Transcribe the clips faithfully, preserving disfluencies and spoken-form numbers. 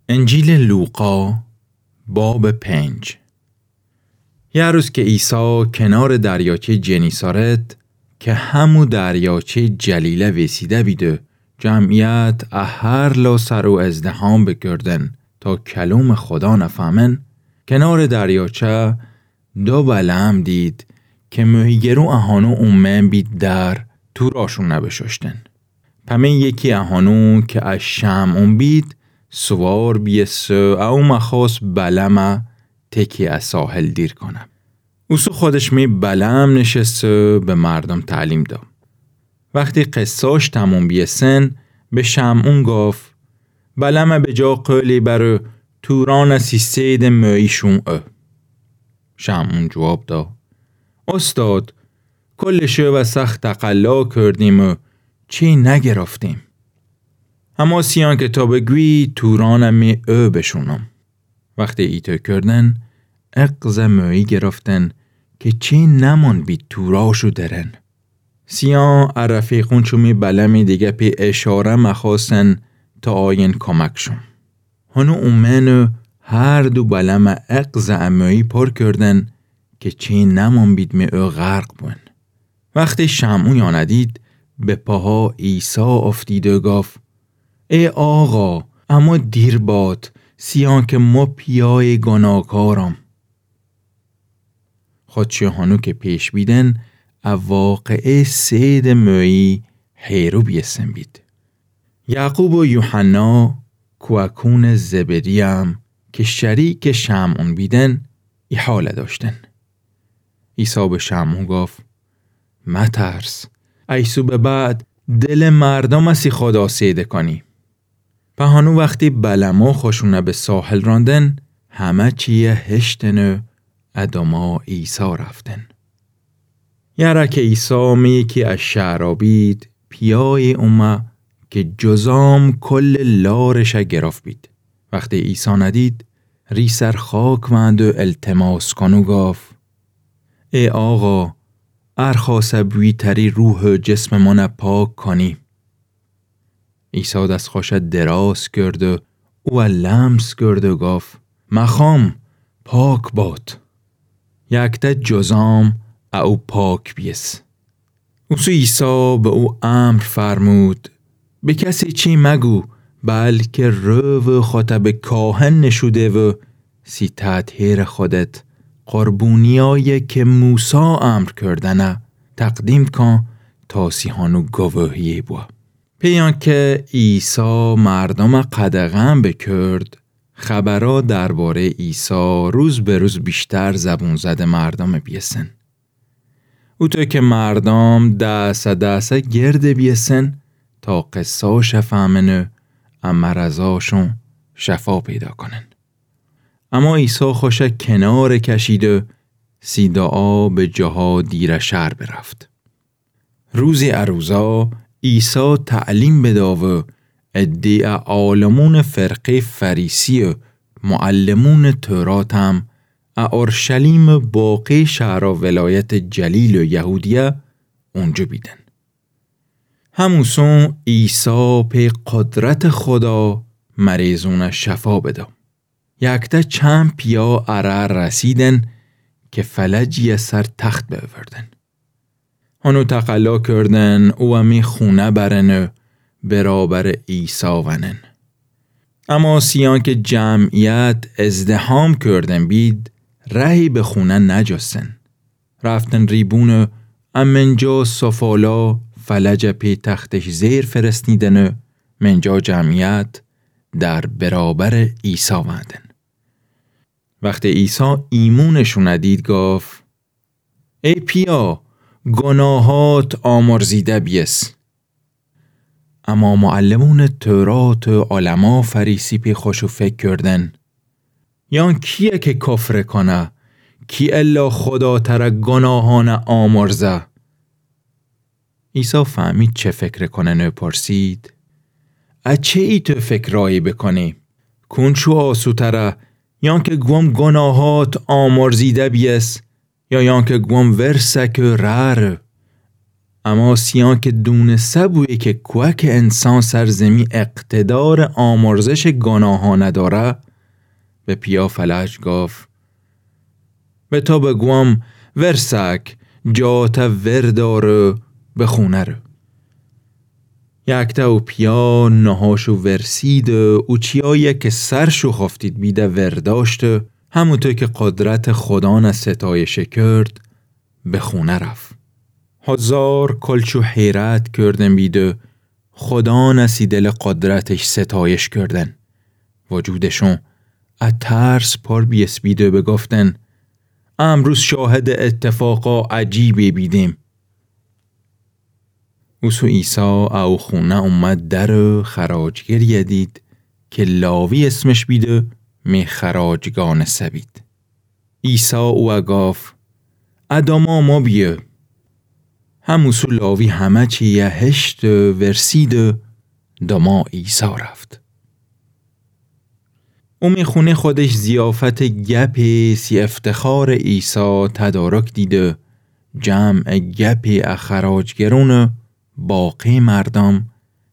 انجیلٚ لوقا، بابٚ پنج. یه روز که عیسی کنارٚ دریاچه‌یٚ جنیسارت، که همو دریاچه‌یٚ جلیله ویسیده بید و جمعیت ا هر لاسر او ازدحام بکردن تا کلومٚ خودا نفهمن، کنارٚ دریاچه دو بلعم دید که مهیگرو اهانو اومن بید در توراشون بشوشتن. پمه یکی اهانو که ا شمعون بید، سوار بیسه و او مخوأست بلمه تکی ا ساحل دیر کنه. اوسو خودش می بلم نشسته به مردم تعلیم دا. وختی قصه‌اش تموم بیسن، به شمعون گفت: بلمه به جا قولی بر و تورانه سی صیدٚ مهی شوم. شمعون جواب دا: استاد، کلٚ شو و سخت تقلا کردیم و چی نگرفتیم. اما سیان که تو بگویی، تورانه می او بشونم. وختی ایتو کردن، اقزه مهی گرفتن که چی نمون بید توراشو درن. سیان ا رفیقون چومی بلمی دیگه پی اشاره مخوأستن تا آیین کمکشون. هنو اومن و هر دو بلمه اقزه ا مهی پر کردن که چی نمون بید می او غرق بون. وختی شمعون یانه دید، به پاها عیسی افتید و گفت: ای آقا، اما دیر باد، سیان که مو پیای گناکارم. خودشی هنو که پیش بیدن، ا واقعه صیدٚ مهی حیرو بیسن بید. یعقوب و یوحنا، کوأکونٚ زبدی‌یم که شریکٚ شمعون بیدن، ای حاله داشتن. عیسی به شمعون گفت: مترس، ایسو به بعد دلٚ مردمه سی خودا سیده کنی. پهانو وختی بلمو خوشونه به ساحل راندن، همه چیه هشتن و ا دوما عیسی رفتن. یره که عیسی می کی ا شهرا بید، پیای اومه که جذام کلٚ لارشه گرفت بید. وختی عیسی ندید، ریسر خاک وأند و التماس کن و گفت: ای آقا، ار خوأسه بویی تری روح و جسمٚ مونه پاک کنی. عیسی دس خوشه دراز کرد و اوه لمس کرد و گفت: مخوام، پاک باد. یکته جذام ا او پاک بیس. اوسو عیسی به او امر فرمود: به کسی چی مگو، بلکه رو و خوته به کاهن نشون ده و سی تطهیرٚ خودت قربونیایی که موسی امر کردنه تقدیم کن تا سی هنو گواهی بو. پیان که عیسی مردمه قدغن بکرد، خبرا درباره‌یٚ عیسی روز به روز ویشتر زبون زدٚ مردمه بیسن. اوطو که مردم دسه دسه گرد بیسن تا قصه‌اشه فهمن و ا مرضاشون شفا پیدا کنن. اما عیسی خوشه کنار کشید و سی دعا به جاها دیره شهر برفت. روزی ا روزا عیسی تعلیم بدا و عده‌یٚ عالمونٚ فرقه‌یٚ فریسی و معلمونٚ توراتم ا اورشلیم و باقی شهرا ولایتٚ جلیل و یهودیه اونجا بیدن. هموسون عیسی پی قدرتٚ خودا مریضونه شفا بدا. یکته چند پیه اره رسیدن که فلجیه سر تخت بأوردن. هنو تقلا کردن اوه می خونه برن و برابرٚ عیسی ونن. اما سیان که جمعیت ازدحام کردن بید، رهی به خونه نجستن. رفتن ریبون و امنجا سفالا فلجه پی تختش زیر فرستیدن و منجا جمعیت در برابرٚ عیسی وندن. وختی عیسی ایمونشونه دید گفت: ای پیه، گناهات آمرزیده بیس. اما معلمونٚ تورات و علما فریسی پی خوشو فکر کردن: یان کیه که کفر کنه؟ کی الا خودا تره گناهانه آمرزه؟ عیسی فهمید چی فکر کنن و پرسید: ا چی ایتو فکرایی بکنی؟ کونچو آسوتره، یان که گوم گناهات آمرزیده بیس، یا یان که گوم ورسه که رر؟ اما سیان که دونسه بویه که کوأکٚ انسان سر زیمی اقتدارٚ آمرزشٚ گناهأنَ دأره، به پیأ فلج گفت: به تو بگوم، ورسک، جاتَ وردار و به خونه رو. یکته او پیأ نهاشَ ورسید و او چیأیی که سرشَ خفتید بیده ورداشت و هموطو که قدرتٚ خودانَ ستایشَ کرد، به خونه رفت. هزار کلچو حیرت کردن بید و خودانَ سی دلٚ قدرتش ستایش کردن. وجودشون ا ترس پر بیسه بید و بگفتن: امروز شاهدٚ اتفاقا عجیبی بیدیم. اوسو عیسی او خونه اومه در و خراجگریَ دید که لاوی اسمش بید و می خراج گأنسه بید. عیسی اوه گفت: ا داما مو بیه. هموسو لاوی همه چیَ هشت و ورسید و داما عیسی رفت. او می خونه خودش ضیافتٚ گپی سی افتخارٚ عیسی تدارک دید و جمعٚ گپی ا خراجگرون و باقی مردم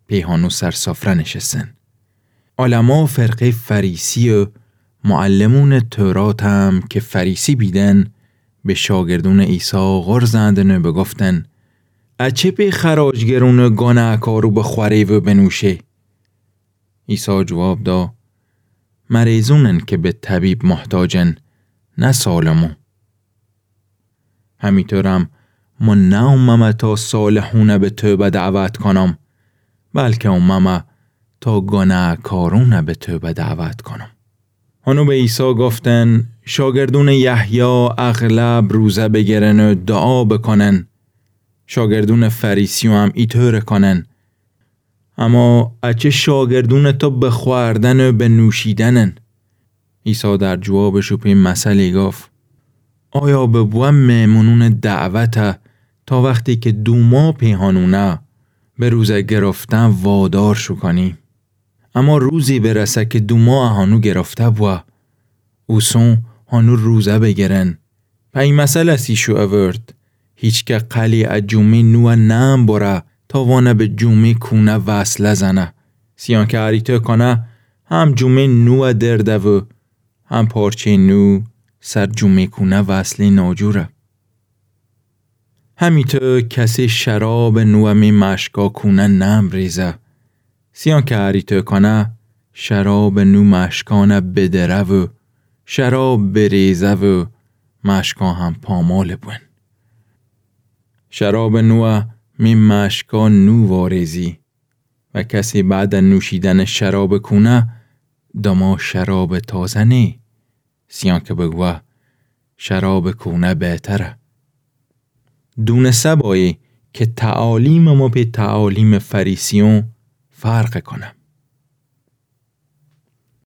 پیهانو سر سفره نشستن. علما فرقهٔ فریسی و معلمونٚ تورات هم که فریسی بیدن، به شاگردونٚ عیسی غر زندن و بگفتن: اچه پی خراجگرونٚ گناهکارو بخوره و بنوشه؟ عیسی جواب دا: مریضونن که به طبیب محتاجن، نه سالمو. همیطورم مو نوممه تا صالحون به توبه دعوت کنم، بلکه اوممه تا گناهکارون به توبه دعوت کنم. هنو به عیسی گفتن: شاگردونٚ یحیی اغلب روزه بگرن و دعا بکنن، شاگردونٚ فریسیو هم ایطوره کنن. اما اچه شاگردونٚ تو بخوردن و بنوشیدنن؟ عیسی در جوابشو پی مثلی گفت: آیا ببوه مهمونونٚ دعوته تا وختی که دوما پیهانونه به روزه گرفتن وادارشو کنی؟ اما روزی برسه که دوما اهانو گرفته بوه، اوسون هنو روزه بگرن. پی مثل سی شو اورد: هیچکه قلی ا جومه نوه نم بره تا وانه به جومه کونه وصله زنه. سیان که اریطو کنه، هم جومه نوه درده و هم پارچه نو سر جومه کونه وصلی ناجوره. همیطو کسی شرابٚ نوه می مشکا کونه نم ریزه. سیان که اریطو کنه، شرابٚ نو مشکانه بدره و شراب بریزه و مشکا هم پامال بون. شرابٚ نوه می مشکا نو واریزی. و کسی بعدٚ نوشیدنٚ شرابٚ کونه داما شرابٚ تازه نه، سیان که بگوه شرابٚ کونه بهتره. دونسه بایی که تعالیمٚ مو پی تعالیمٚ فریسیون فرق کنه.